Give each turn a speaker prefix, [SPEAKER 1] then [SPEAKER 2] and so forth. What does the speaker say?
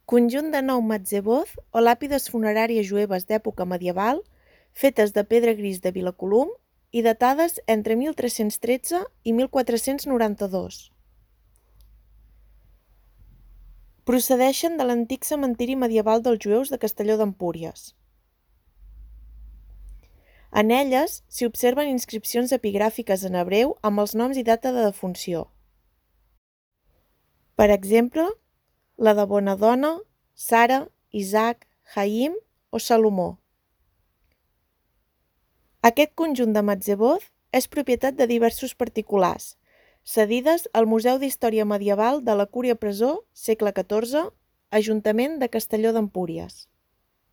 [SPEAKER 1] Conjunt de 9 matzeboz o làpides funeràries jueves d'època medieval, fetes de pedra gris de Vilacolum i datades entre 1313 i 1492. Procedeixen de l'antic cementiri medieval dels jueus de Castelló d'Empúries. En elles s'hi observen inscripcions epigràfiques en hebreu amb els noms i data de defunció. Per exemple, la de Bonadona, Sara, Isaac, Haim o Salomó. Aquest conjunt de matzeboz és propietat de diversos particulars, cedides al Museu d'Història Medieval de la Cúria Presó, segle XIV, Ajuntament de Castelló d'Empúries.